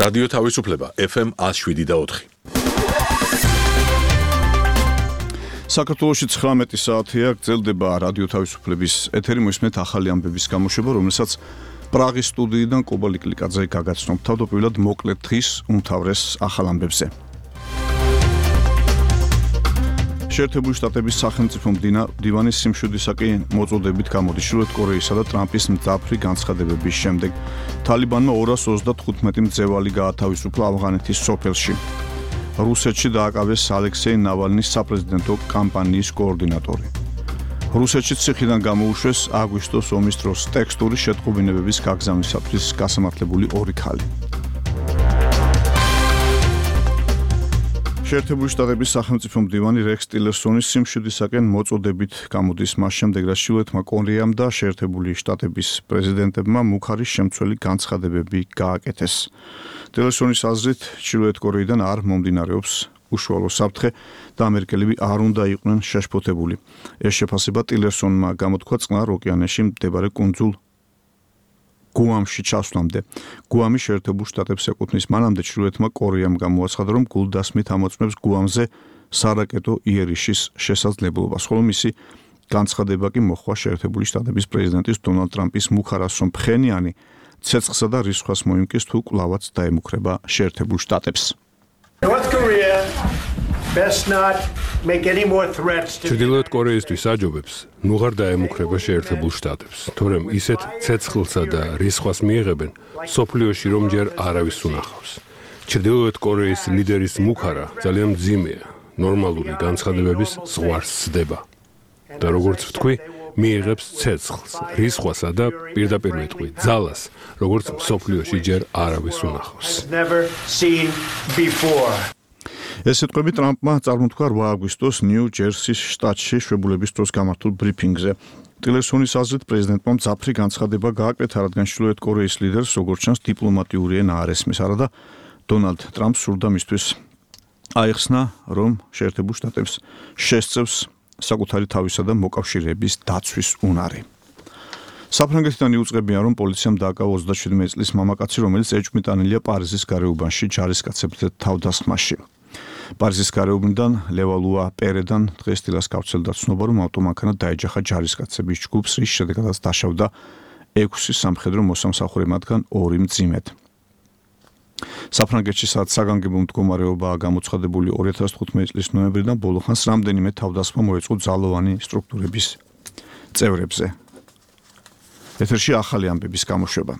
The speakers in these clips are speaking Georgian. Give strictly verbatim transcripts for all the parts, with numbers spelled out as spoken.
რადიო თავისუფლება ეფ ემ one oh seven და four. საქართველოში ცხრამეტი საათია გრძელდება რადიო თავისუფლების ეთერი, მოისმენთ ახალი ამბების გამოშვება, რომელსაც პრაღის სტუდიიდან კობა ლიკლიკაძე გაგაცნობთ. თავდაპირველად მოკლედ დღის უმთავრეს ახალ ამბებზე. შეერთებული შტატების სახელმწიფო მდივანის სიმშვიდისაკი მოწოდებით გამოდის ჩრდილოეთ კორეისა და ტრამპის მძაფრი განცხადებების შემდეგ. თალიბანმა ორას ოცდათხუთმეტი მძევალი გაათავისუფლა ავღანეთის სოფელში. რუსეთში დააკავეს ალექსეი ნავალნის საპრეზიდენტო კამპანიის კოორდინატორი. რუსეთში ციხიდან გამოუშვეს აგვისტოს ომის დროს ტექსტური შეტყობინებების გაგზავნისათვის გასამართლებული ორი ქალი. შეერთებული შტატების სახელმწიფო მდივანი რექს ტილერსონის სიმშვიდისაკენ მოწოდებით გამოდის მას შემდეგ, რაც ჩრდილოეთმა კორეამ და შეერთებული შტატების პრეზიდენტებმა მუქარის შემცველი განცხადებები გააკეთეს. ტილერსონის აზრით, ჩრდილოეთ კორეიდან არ მომდინარეობს უშუალო საფრთხე და ამერიკელები არ უნდა იყვნენ შეშფოთებული. ეს შეფასება ტილერსონმა გამოთქვა წყნარ ოკეანეში მდებარე კუნძულ გუამში ჩასვლამდე. გუამი შეერთებულ შტატებს ეკუთვნის. მანამდე ჩრდილოეთმა კორეამ გამოაცხადა, რომ გულდასმით ამოწმებს გუამზე სარაკეტო იერიშის შესაძლებლობას, ხოლო მისი განცხადება კი მოხდა შეერთებული შტატების პრეზიდენტის დონალდ ტრამპის მუქარასო მფხენიანი ცეცხლსა და რისხვას მოიმკის თუ კვლავაც დაემუქრება შეერთებულ შტატებს. ჩრდილოეთ კორეისთვის აჯობებს ნუ ღარ დაემუქრება შეერთებულ შტატებს, თორემ ისეთ ცეცხლსა და რისხვას მიიღებენ სოფლიოში, რომ ჯერ არავის უნახავს. ჩრდილოეთ კორეის ლიდერის მუქარა ძალიან მძიმეა, ნორმალური განცხადებების ზღვარს სდება და როგორც ვთქვი, მიიღებს ცეცხლს, რისხვასა და პირდაპირ ვეთქვი, ძალას, როგორც სოფლიოში ჯერ არავის უნახავს. ეს სიტყვები ტრამპმა წარმოთქვა რვა აგვისტოს ნიუ-ჯერსის შტატში შვებულების დროს გამართულ ბრიფინგზე. ტილერსონის აზრით, პრეზიდენტმა მძაფრი განცხადება გააკეთა, რადგან ჩრდილოეთ კორეის ლიდერს, როგორც ჩანს, დიპლომატიური ენა არ ესმის, არადა დონალდ ტრამპს სურდა მისთვის აიხსნა, რომ შეერთებულ შტატებს შესწევს საკუთარი თავისა და მოკავშირეების დაცვის უნარი. საფრანგეთიდან იუწყებიან, რომ პოლიციამ დააკავა ოცდაშვიდმეტი წლის მამაკაცი, რომელიც ეჭვმიტანილია პარიზის გარეუბანში ჯარისკაცებთან თავდასხმაში. პარიზის გარეუბნიდან ლევალუა პერედან დღეს დილას გავრცელდა ცნობა, რომ ავტომანქანა დაეჯახა ჯარისკაცების ჯგუფს, რის შედეგადაც დაშავდა ექვსი სამხედრო მოსამსახურე, მათგან ორი მძიმედ. საფრანგეთში სადაც საგანგებო მდგომარეობაა გამოცხადებული ორი ათას თხუთმეტი წლის ნოემბრიდან ბოლოხანს რამდენიმე თავდასხმა მოეწყო ძალოვანი სტრუქტურების წევრებზე. ეთერში ახალი ამბების გამოშვება.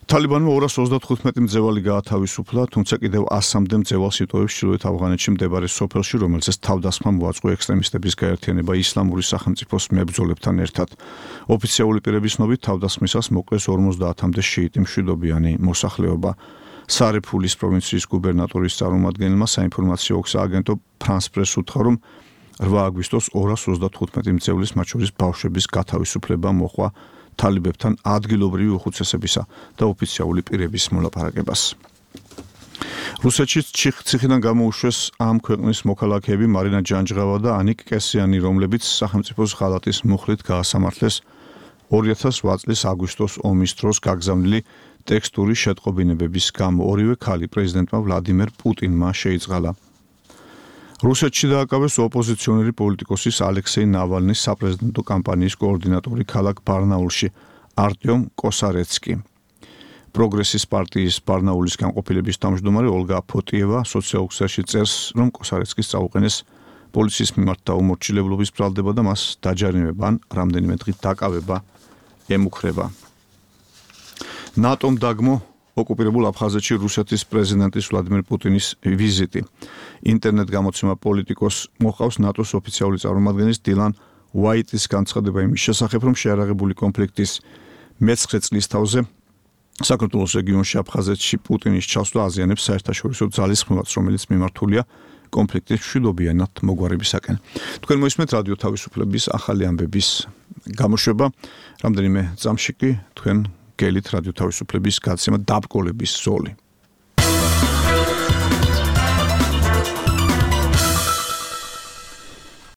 თალიბანმა ორას ოცდათხუთმეტი მძევალი გაათავისუფლა, თუმცა კიდევ ასამდე მძევალს იტოვებს ჩრდილოეთ ავღანეთში მდებარე სოფელში, რომელზეც თავდასხმა მოაწყო ექსტრემისტების გაერთიანება ისლამური სახელმწიფოს მებრძოლებთან ერთად. ოფიციალური პირების ცნობით, თავდასხმისას მოკლეს ორმოცდაათამდე შიიტი მშვიდობიანი მოსახლეობა. სარიფულის პროვინციის გუბერნატორის წარმომადგენელმა საინფორმაციო სააგენტო ფრანს პრეს უთხრა, რომ რვა აგვისტოს ორას ოცდათხუთმეტი მძევლის, მათ შორის ბავშვების გათავისუფლება მოჰყვა თალიბებთან ადგილობრივი უხუცესებისა და ოფიციალური პირების მოლაპარაკებას. რუსეთში ციხიდან გამოუშვეს ამ ქვეყნის მოქალაქეები მარინა ჯანჯღავა და ანიკ კესიანი, რომლებიც სახელმწიფოს ღალატის მუხლით გაასამართლეს ორი ათას ოთხ წლის აგვისტოს ომის დროს გაგზავნილი ტექსტური შეტყობინებების გამო. ორივე ქალი პრეზიდენტმა ვლადიმერ პუტინმა შეიწყალა. რუსეთში დააკავეს ოპოზიციონერი პოლიტიკოსის ალექსეი ნავალნის საპრეზიდენტო კამპანიის კოორდინატორი ქალაქ ბარნაულში არტიომ კოსარეცკი. პროგრესის პარტიის ბარნაულის განყოფილების თავმჯდომარე ოლგა ფოტიევა სოციალურ ქსელში წერს, რომ კოსარეცკის წაუყენეს პოლიციის მიმართ დაუმორჩილებლობის ბრალდება და მას დაჯარიმება ან რამდენიმე დღით დაკავება ემუქრება. ნატომ დაგმო ოკუპირებულ აფხაზეთში რუსეთის პრეზიდენტის ვლადიმერ პუტინის ვიზიტი. ინტერნეტ გამოცემა პოლიტიკოს მოყავს ნატოს ოფიციალური წარმომადგენლის დილან უაიტის განცხადება იმის შესახებ, რომ შეარაღებული კონფლიქტის მეცხრე წლის თავზე საქართველოს რეგიონში აფხაზეთში პუტინის ჩასვლა აზიანებს საერთაშორისო ძალისხმევას, რომელიც მიმართულია კონფლიქტის მშვიდობიანად მოგვარებისაკენ. თქვენ მოისმენთ რადიო თავისუფლების ახალი ამბების გამოშვება. რამდენიმე წამში კი თქვენ გელით რადიო თავისუფლების გაცემა დაბკოლების ზოლი.